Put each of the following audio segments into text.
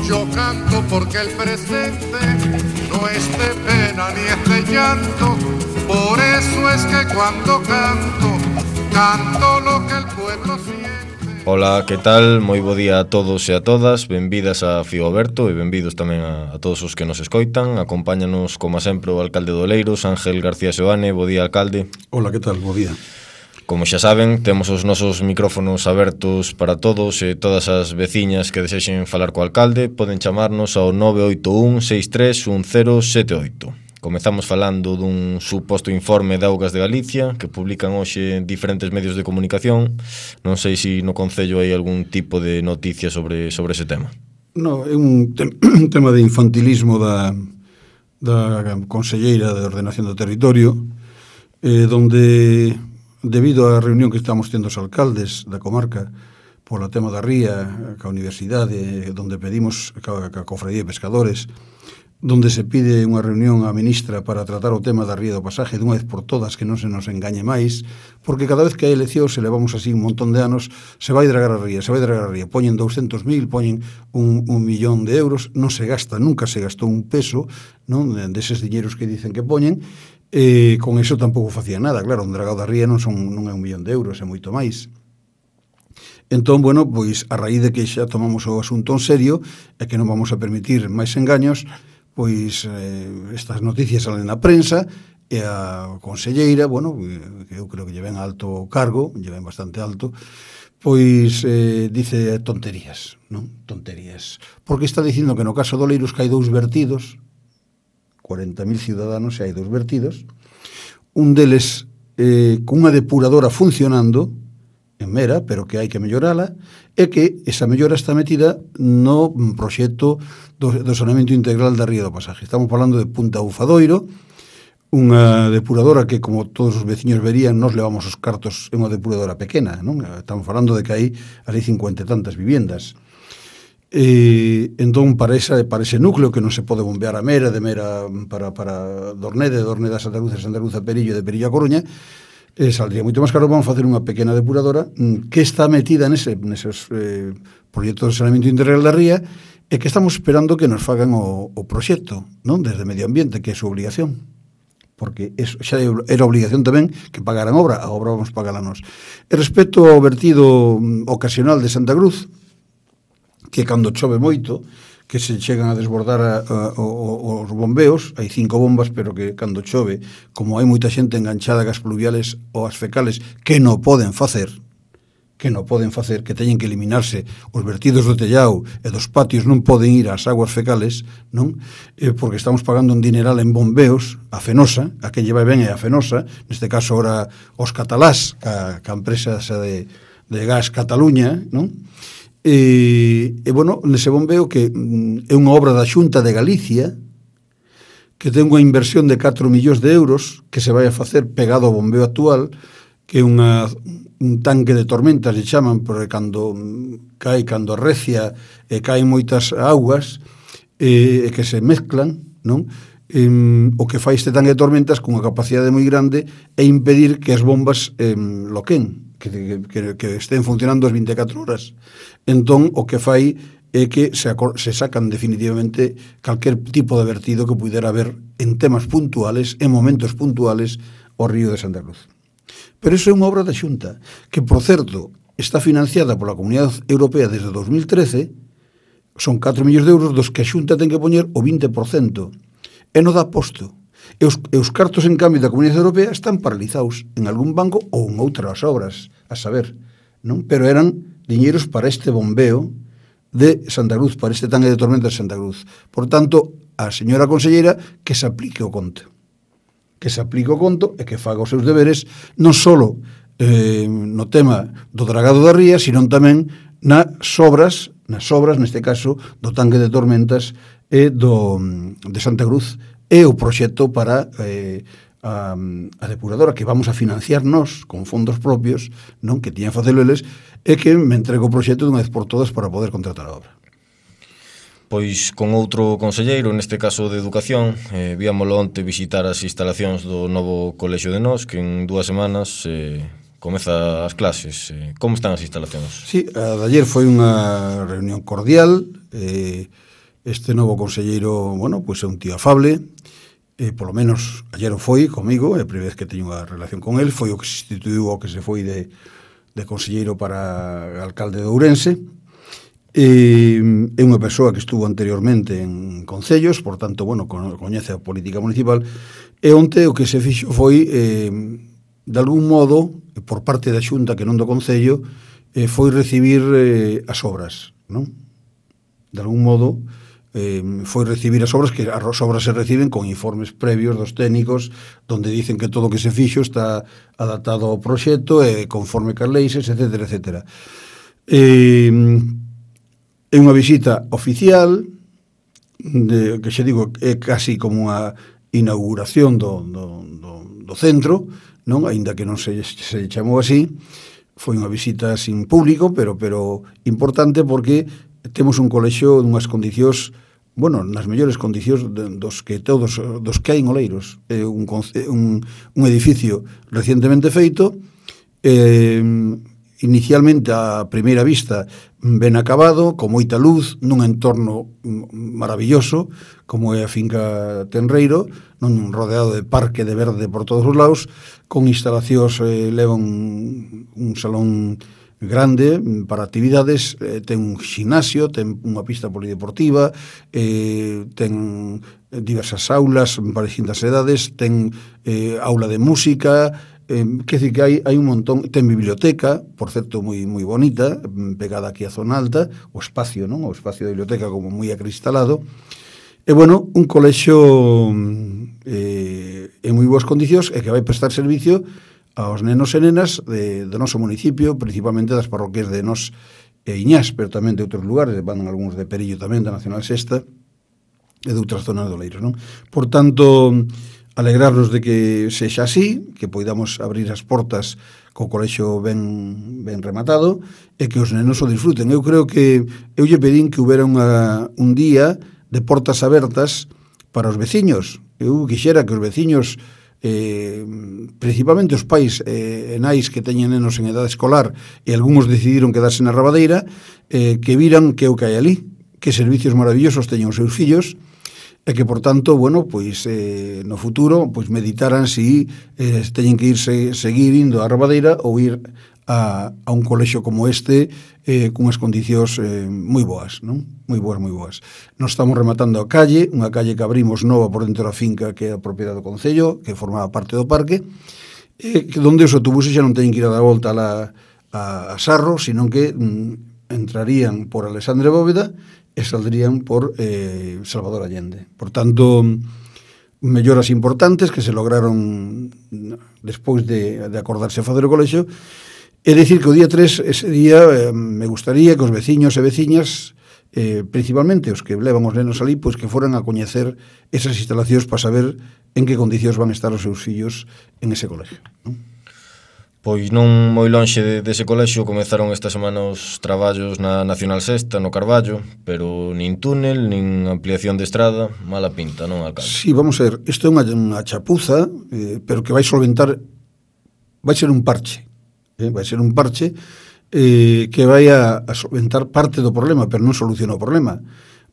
Yo canto porque el presente no es de pena ni es de llanto. Por eso es que cuando canto, canto lo que el pueblo siente. Ola, que tal? Moi bo día a todos e a todas. Benvidas a Fío Aberto e benvidos tamén a todos os que nos escoitan. Acompáñanos, como sempre, o alcalde de Oleiros, Ángel García Seoane. Bo día, alcalde. Ola, que tal? Bo día. Como xa saben, temos os nosos micrófonos abertos para todos e todas as veciñas que desexen falar co alcalde poden chamarnos ao 981 63 1078. Comezamos falando dun suposto informe de Augas de Galicia que publican hoxe en diferentes medios de comunicación. Non sei se no Concello hai algún tipo de noticia sobre ese tema. No, é un tema de infantilismo da Conselleira de Ordenación do Territorio, donde, debido á reunión que estamos tendo os alcaldes da comarca pola tema da ría, ca Universidade, donde pedimos ca Cofradía de Pescadores, donde se pide unha reunión á ministra para tratar o tema da ría do pasaje dunha vez por todas, que non se nos engañe máis, porque cada vez que hai eleccións, se levamos así un montón de anos, se vai dragar a ría, poñen 200.000, poñen un millón de euros, non se gasta, nunca se gastou un peso, non, deses diñeiros que dicen que poñen, con eso tampouco facía nada, claro, un dragado da ría non é 1 millón de euros, é moito máis. Entón, bueno, pois a raíz de que xa tomamos o asunto en serio e que non vamos a permitir máis engaños, pois estas noticias salen na prensa e a conselleira, bueno, que eu creo que lle ven alto cargo, lle ven bastante alto, pois dice tonterías, non? Tonterías. Porque está dicindo que no caso de Oleiros que hai 2 vertidos, 40.000 ciudadanos e hai 2 vertidos, un deles con unha depuradora funcionando en Mera, pero que hai que mellorala, e que esa mellora está metida no proxecto do saneamento integral da ría do pasaje. Estamos falando de Punta Bufadoiro, unha depuradora que, como todos os veciños verían, nos levamos os cartos en unha depuradora pequena, non? Estamos falando de que hai ali 50 e tantas viviendas. Entón, para ese núcleo que non se pode bombear a Mera, de Mera para Dornede, Dornede a Santa Cruz, Santa Cruz a Perillo, de Perillo a Coruña, saldría moito máis caro. Vamos a facer unha pequena depuradora que está metida neses proxectos de saneamento integral da ría e que estamos esperando que nos fagan o proxecto, non? Desde Medio Ambiente, que é a súa obligación, porque eso xa era obligación tamén que pagaran a obra vamos pagar a nós. E respecto ao vertido ocasional de Santa Cruz, que cando chove moito, que se chegan a desbordar os bombeos, hai 5 bombas, pero que cando chove, como hai moita xente enganchada gas pluviales ou as fecales que non poden facer, que teñen que eliminarse os vertidos do tellao e dos patios, non poden ir ás aguas fecales, non? Porque estamos pagando un dineral en bombeos, a Fenosa, a que lle vai ben é a Fenosa, neste caso ora os catalás, ca empresa de gas Cataluña, non? E bueno, nese bombeo que é unha obra da Xunta de Galicia que ten unha inversión de 4 millóns de euros que se vai a facer pegado ao bombeo actual, que é un tanque de tormentas, se chaman, porque cando arrecia e caen moitas augas e que se mezclan, non? O que fai este tanque de tormentas con unha capacidade moi grande é impedir que as bombas loquen, que estén funcionando as 24 horas. Entón, o que fai é que se sacan definitivamente calquer tipo de vertido que pudera haber en temas puntuales, en momentos puntuales, ao río de Santa Cruz. Pero iso é unha obra da Xunta, que, por certo, está financiada pola Comunidade Europea desde 2013, son 4 millóns de euros dos que a Xunta ten que poñer o 20%, e non dá posto. E os cartos, en cambio, da Comunidade Europea están paralizados en algún banco ou en outras obras, a saber, non? Pero eran diñeiros para este bombeo de Santa Cruz, para este tanque de tormentas de Santa Cruz. Por tanto, a señora conselleira que se aplique o conto. Que se aplique o conto e que faga os seus deberes non só no tema do dragado da ría, sino tamén nas obras, neste caso, do tanque de tormentas e de Santa Cruz, e o proxecto para a depuradora que vamos a financiar nós con fondos propios, non, que tiñan facelo eles, e que me entrego o proxecto dunha vez por todas para poder contratar a obra. Pois con outro conselleiro, neste caso de Educación, víamolo onte visitar as instalacións do novo colexio de Nós, que en 2 semanas comeza as clases. Como están as instalacións? Sí, a de ayer foi unha reunión cordial. Este novo conselleiro, bueno, pois é un tío afable. Polo menos ayer o foi comigo, é a primeira vez que teño unha relación con el. Foi o que se instituiu o que se foi de conselleiro para alcalde de Ourense. É unha persoa que estuvo anteriormente en concellos, por tanto, bueno, coñece a política municipal. E onte o que se fixo foi, de algún modo, por parte da Xunta que non do Concello, foi recibir as obras, non? De algún modo, foi recibir as obras, que as obras se reciben con informes previos dos técnicos, donde dicen que todo o que se fixo está adaptado ao proxecto e conforme cas leis, etc. É unha visita oficial, que xa digo, é casi como unha inauguración do centro, non? Aínda que non se chamou así. Foi unha visita sin público, pero importante, porque temos un colexio nunhas condicións, bueno, nas mellores condicións dos que hai en Oleiros. É un edificio recientemente feito, inicialmente a primeira vista ben acabado, con moita luz, nun entorno maravilloso, como é a finca Tenreiro, non rodeado de parque de verde por todos os lados, con instalacións, levan un salón grande para actividades, ten un ximnasio, ten unha pista polideportiva, ten diversas aulas para distintas edades, ten aula de música, quer dizer que hai un montón. Ten biblioteca, por certo, moi bonita, pegada aquí a zona alta, o espacio, non? O espacio da biblioteca como moi acristalado. E, bueno, un colexio en moi boas condicións e que vai prestar servicio aos nenos e nenas do noso municipio, principalmente das parroquias de Nos e Iñás, pero tamén de outros lugares, van algúns de Perillo tamén, da Nacional Sexta, e de outras zonas do Oleiros, non? Por tanto, alegrarnos de que sexa así, que poidamos abrir as portas co colexio ben rematado e que os nenos o disfruten. Eu creo que eu lle pedín que houbera un día de portas abertas para os veciños. Eu quixera que os veciños, principalmente os pais e nais que teñen nenos en edade escolar, e algúns decidiron quedarse na Rabadeira, que viran que o que hai ali, que servicios maravillosos teñen os seus fillos, e que, por tanto, bueno, pois no futuro pois meditaran si teñen que seguir indo á Rabadeira ou ir a un colexio como este, cunhas condicións moi boas, non? Moi boas. Nos estamos rematando a calle, unha calle que abrimos nova por dentro da finca, que é a propiedade do Concello, que formaba parte do parque, donde os autobuses xa non teñen que ir a dar volta a Sarro, senón que entrarían por Alexandre Bóveda e saldrían por Salvador Allende. Por tanto, melloras importantes que se lograron despois de acordarse a facer o colexio. É dicir que o día 3, ese día, me gustaría que os veciños e veciñas, principalmente os que levan os nenos ali, pois que foran a coñecer esas instalacións para saber en que condicións van estar os seus fillos en ese colexio, non? Pois non moi lonxe dese colexio comezaron esta semana os traballos na Nacional Sexta, no Carballo, pero nin túnel, nin ampliación de estrada, mala pinta, non, alcalde? Sí, vamos a ver, isto é unha chapuza, pero que vai solventar, vai ser un parche, que vai a solventar parte do problema, pero non soluciona o problema,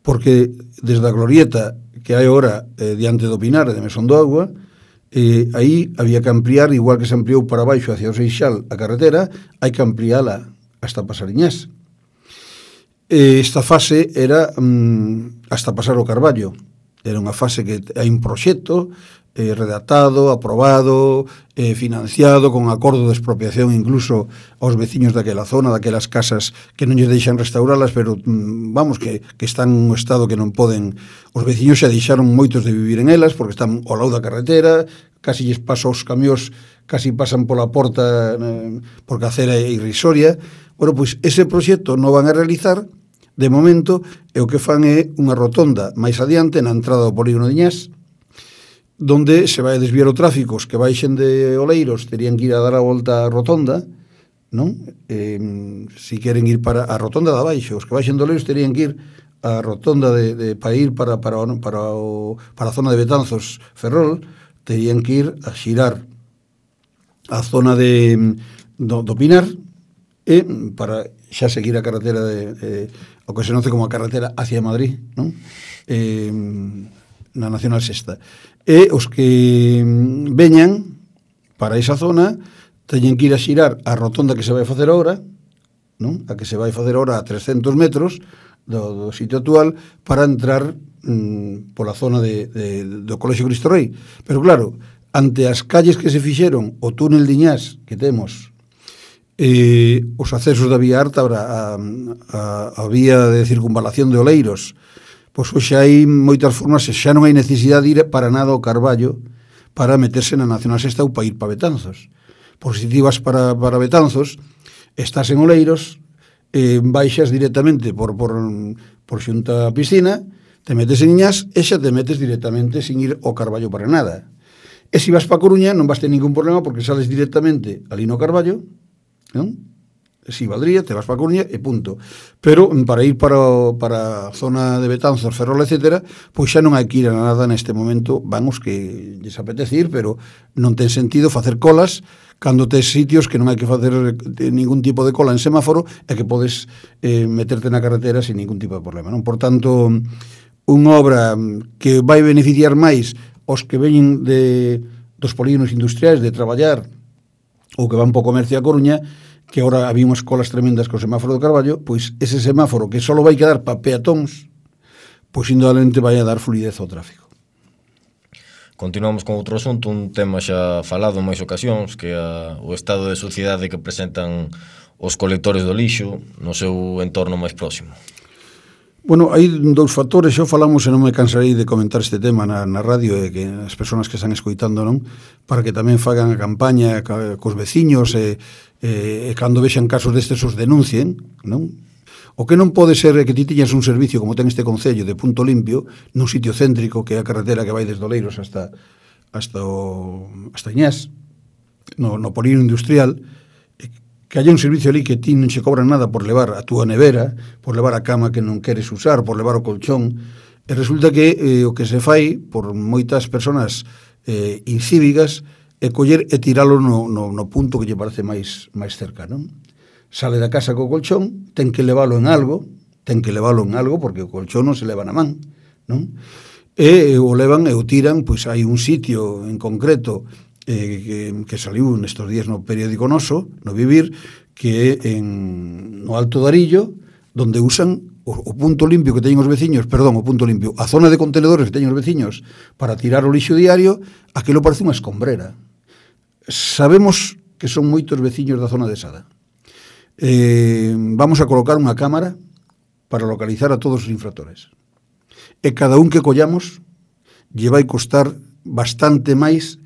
porque desde a glorieta que hai agora diante do Pinar de Mesón do Agua, aí había que ampliar, igual que se ampliou para baixo hacia o Seixal a carretera, hai que ampliála hasta Pasariñás. Esta fase era hasta pasar o Carballo. Era unha fase que hai un proxecto redactado, aprobado, financiado, con acordo de expropiación incluso aos veciños daquela zona, daquelas casas que non lles deixan restauralas, pero vamos, que están en un estado que non poden. Os veciños xa deixaron moitos de vivir en elas, porque están ao lado da carretera, casi lles pasa os camións, casi pasan pola porta, porque a acera é irrisoria. Bueno, pois ese proxecto non van a realizar de momento, e o que fan é unha rotonda máis adiante na entrada do polígono de Iñás, donde se vai a desviar o tráfico. Os que baixen de Oleiros terían que ir a dar a volta a rotonda, non? Si queren ir para a rotonda de abaixo, os que baixen de Oleiros terían que ir a rotonda para ir para a zona de Betanzos, Ferrol, terían que ir a xirar a zona de do Pinar, e para xa seguir a carretera o que se conoce como a carretera hacia Madrid, non? Na Nacional Sexta. E os que veñan para esa zona teñen que ir a xirar a rotonda que se vai facer agora, non? A que se vai facer agora a 300 metros do sitio actual para entrar pola zona do Colexio Cristo Rei. Pero claro, ante as calles que se fixeron, o túnel de Iñás que temos, os accesos da vía alta, a vía de circunvalación de Oleiros, pois hoxe hai moitas formas, xa non hai necesidade de ir para nada ao Carballo para meterse na Nacional Sexta ou para ir para Betanzos. Por si ti vas para Betanzos, estás en Oleiros, baixas directamente por xunta a piscina, te metes en Iñás e xa te metes directamente sin ir ao Carballo para nada. E se vas para Coruña non vas ter ningún problema porque sales directamente ali no Carballo, non? Si valdría, te vas para Coruña e punto. Pero para ir para a zona de Betanzos, Ferrol, etcétera, pois xa non hai que ir a nada neste momento, vamos, que lles apetece ir, pero non ten sentido facer colas cando tes sitios que non hai que facer ningún tipo de cola en semáforo e que podes meterte na carretera sin ningún tipo de problema, non? Por tanto, unha obra que vai beneficiar máis os que veñen dos polígonos industriais de traballar ou que van po comercio a Coruña, que agora había unhas colas tremendas co semáforo do Carballo, pois ese semáforo que só vai quedar para peatóns, pois indudablemente vai a dar fluidez ao tráfico. Continuamos con outro asunto, un tema xa falado en máis ocasións, que é o estado de suciedade que presentan os colectores do lixo no seu entorno máis próximo. Bueno, hai dous factores, xo falamos e non me cansarei de comentar este tema na radio e que as persoas que están escoitando, non? Para que tamén fagan a campaña cos veciños e cando vexan casos destes os denuncien, non? O que non pode ser é que ti tiñas un servicio como ten este concello de punto limpio nun sitio céntrico que é a carretera que vai desde Oleiros hasta Iñás, no polígono industrial, que haya un servicio ali que ti non se cobran nada por levar a túa nevera, por levar a cama que non queres usar, por levar o colchón, e resulta que o que se fai por moitas persoas incívicas é coller e tiralo no punto que lle parece máis cerca, non? Sale da casa co colchón, ten que leválo en algo, porque o colchón non se leva na man, non? E o levan e o tiran, pois hai un sitio en concreto que saliu nestes días no periódico noso, no Vivir, que é no Alto de Arillo, donde usan o punto limpio que teñen os veciños, a zona de contenedores que teñen os veciños para tirar o lixo diario, aquilo parece unha escombrera. Sabemos que son moitos veciños da zona de Sada. Vamos a colocar unha cámara para localizar a todos os infractores. E cada un que collamos lle vai costar bastante máis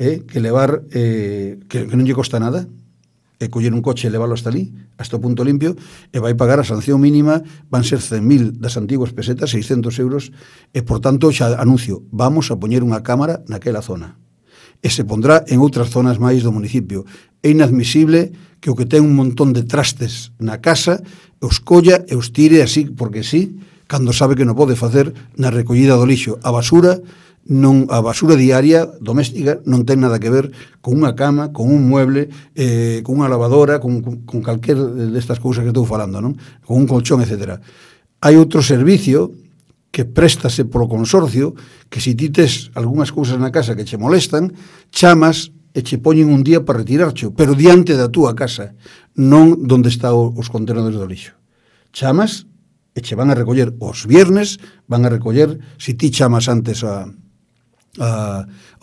que levar, que non lle costa nada, coller un coche e leválo hasta ali, hasta o punto limpio, e vai pagar a sanción mínima, van ser 100.000 das antiguas pesetas, 600 euros, e por tanto xa anuncio, vamos a poñer unha cámara naquela zona. E se pondrá en outras zonas máis do municipio. É inadmisible que o que ten un montón de trastes na casa os colla e os tire así, porque sí, cando sabe que non pode facer na recollida do lixo. A basura diaria doméstica non ten nada que ver con unha cama, con un mueble, con unha lavadora, con calquer destas cousas que estou falando, non? Con un colchón, etc. Hai outro servicio que préstase polo consorcio, que se ti tes algunhas cousas na casa que che molestan, chamas e che poñen un día para retirarcho, pero diante da túa casa, non donde está os contenedores do lixo. Chamas e che van a recoller os viernes, van a recoller, se ti chamas antes ao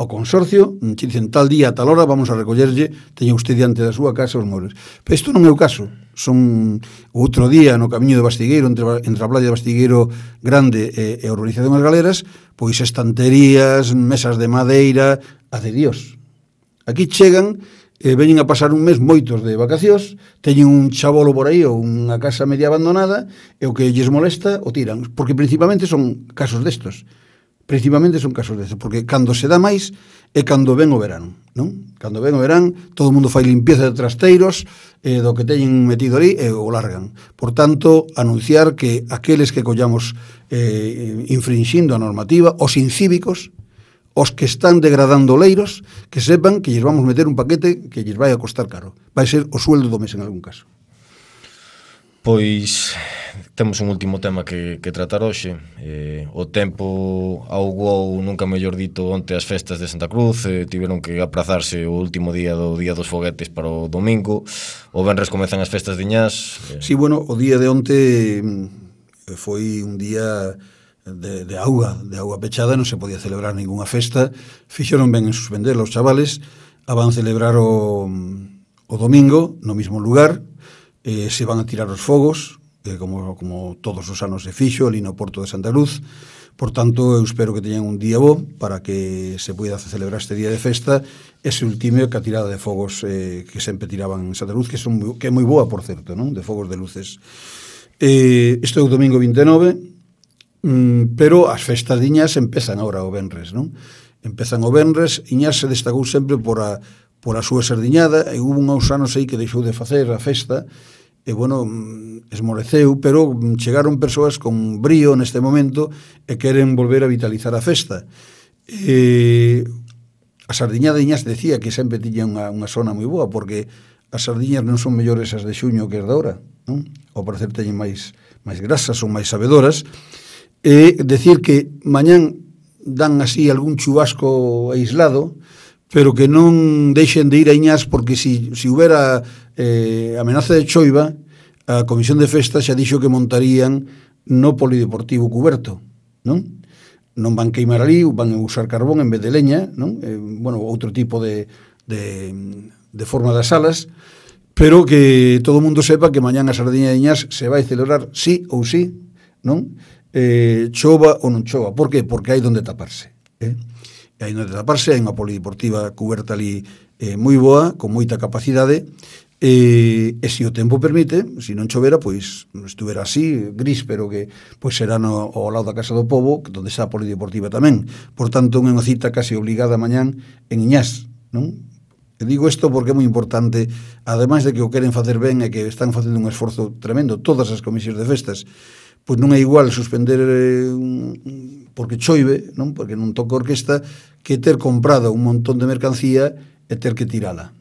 consorcio, che dicen tal día, tal hora, vamos a recollerlle, teña usted diante da súa casa os muebles. Pero isto non é o caso. Son outro día no camiño de Bastigueiro, entre a playa de Bastigueiro Grande e a urbanización das Galeras, pois estanterías, mesas de madeira, hace Dios. Aquí chegan, veñen a pasar un mes moitos de vacacións, teñen un chabolo por aí ou unha casa media abandonada, e o que lles molesta o tiran, porque principalmente son casos destos. Porque cando se dá máis é cando ven o verán, non? Cando ven o verán, todo o mundo fai limpieza de trasteiros do que teñen metido ali e o largan. Por tanto, anunciar que aqueles que collamos infrinxindo a normativa, os incívicos, os que están degradando leiros, que sepan que lles vamos meter un paquete que lles vai a costar caro. Vai ser o sueldo do mes en algún caso. Pois temos un último tema que tratar hoxe. O tempo augou, nunca mellor dito, onte as festas de Santa Cruz. Tiveron que aprazarse o último día do Día dos Foguetes para o domingo. O venres comezan as festas de Iñás. Sí, bueno, o día de onte foi un día de auga pechada, non se podía celebrar ninguna festa. Fixeron ben en suspender os chavales. Van celebrar o domingo no mismo lugar. Se van a tirar os fogos, como todos os anos se fixo ali no Porto de Santa Cruz. Por tanto, eu espero que teñan un día bo para que se poida celebrar este día de festa. Ese último que a tirada de fogos que sempre tiraban en Santa Cruz, que é moi boa, por certo, non? De fogos de luces. Isto é o domingo 29, pero as festas de Iñás empezan agora o venres, non? Empezan o venres. Iñás se destacou sempre por a súa sardiñada, e hubo uns anos aí que deixou de facer a festa, e, bueno, esmoreceu, pero chegaron persoas con brío neste momento e queren volver a vitalizar a festa. A sardiñada de Iñás decía que sempre tiña unha zona moi boa, porque as sardiñas non son mellores as de xuño que as de ahora, non? Ao parecer teñen máis grasas, son máis sabedoras, e decir que mañán dan así algún chubasco aislado, pero que non deixen de ir a Iñás, porque si houbera amenaza de choiva, a Comisión de Festas xa dixo que montarían no polideportivo cuberto, non? Non van queimar ali, van usar carbón en vez de leña, non? Bueno, outro tipo de forma das salas, pero que todo o mundo sepa que mañán a sardiña de Iñás se vai celebrar sí ou sí, non? Chova ou non chova. Por que? Porque hai donde taparse, hai onde taparse, hai unha polideportiva cuberta ali moi boa, con moita capacidade, e se o tempo permite, se non chovera, pois estuvera así, gris, pero que pois será ao lado da Casa do Pobo, onde está a polideportiva tamén. Por tanto, unha cita casi obligada mañán en Iñás, non? E digo isto porque é moi importante, ademais de que o queren facer ben e que están facendo un esforzo tremendo todas as comisións de festas, pois non é igual suspender porque choive, non? Porque non toca orquesta, que ter comprado un montón de mercancía e ter que tirala,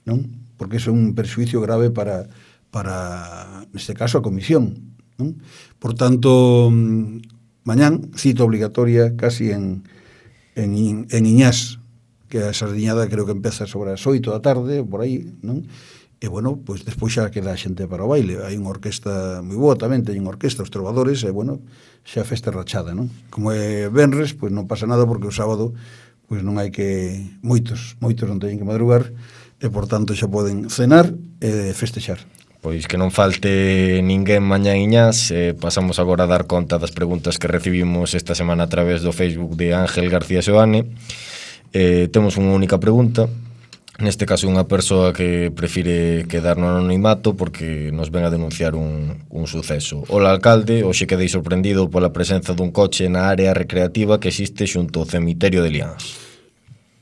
non? Porque iso é un perxuicio grave para neste caso, a comisión, non? Por tanto, mañán, cita obligatoria casi en Iñás, que a sardiñada creo que empeza sobre as 8 da tarde, por aí, non? E, bueno, pois despois xa queda a xente para o baile. Hai unha orquesta moi boa tamén, teñen orquesta, os trovadores, e, bueno, xa a festa rachada, non? Como é venres, pois non pasa nada, porque o sábado pois non hai que... Moitos non teñen que madrugar, e, por tanto, xa poden cenar e festexar. Pois que non falte ninguén mañá Iñás. Pasamos agora a dar conta das preguntas que recibimos esta semana a través do Facebook de Ángel García Seoane. Temos unha única pregunta, neste caso unha persoa que prefire quedar no anonimato porque nos ven a denunciar un suceso. Ola, alcalde, hoxe quedei sorprendido pola presenza dun coche na área recreativa que existe xunto ao cemiterio de Liáns.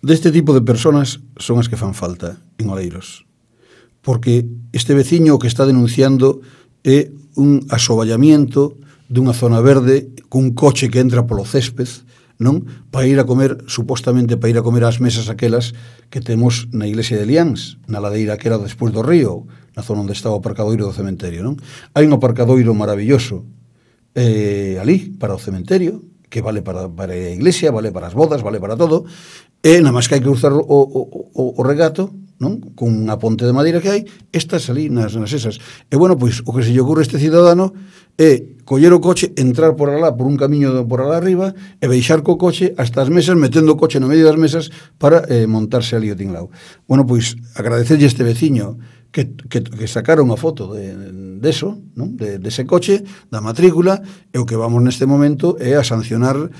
Deste tipo de personas son as que fan falta en Oleiros, porque este veciño que está denunciando é un asoballamiento dunha zona verde cun coche que entra polo césped, non? Para ir a comer, supostamente para ir a comer ás mesas aquelas que temos na iglesia de Liáns, na ladeira que era despois do río, na zona onde estaba o aparcadoiro do cementerio, non? Hai un aparcadoiro maravilloso ali, para o cementerio, que vale para a iglesia, vale para as bodas, vale para todo, e nada máis que hai que cruzar o regato, non? Con unha ponte de madeira que hai, estas ali nas esas. E, bueno, pois, o que se lle ocurre a este cidadano é coller o coche, entrar por alá, por un camiño por alá arriba, e baixar co coche hasta as mesas, metendo o coche no medio das mesas para montarse ali o tinglao. Bueno, pois, agradecerlle a este veciño que sacaron a foto deso, non? Dese coche, da matrícula, e o que vamos neste momento é a sancionar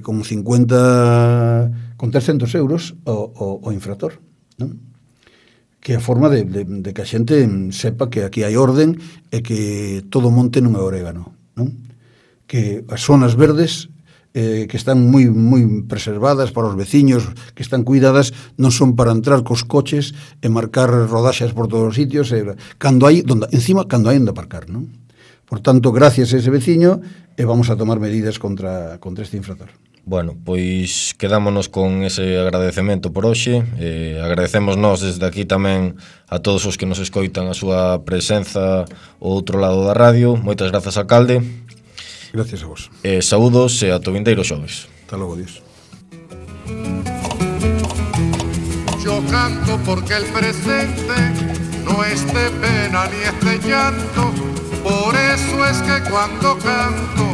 con 300 euros o infractor, non? Que é a forma de que a xente sepa que aquí hai orden e que todo monte non é orégano, non? Que as zonas verdes que están moi preservadas para os veciños, que están cuidadas, non son para entrar cos coches e marcar rodaxas por todos os sitios, cando hai onde aparcar, non? Por tanto, gracias a ese veciño, vamos a tomar medidas contra este infractor. Bueno, pois quedámonos con ese agradecemento por hoxe. Agradecemos nós desde aquí tamén a todos os que nos escoitan a súa presenza ao outro lado da radio. Moitas grazas, alcalde. Gracias a vos. Saúdos e ata o vindeiro xoves. Hasta logo, Dios. Yo canto porque el presente no es de pena ni es de llanto. Por eso es que cuando canto,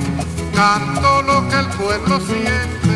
canto lo que el pueblo siente.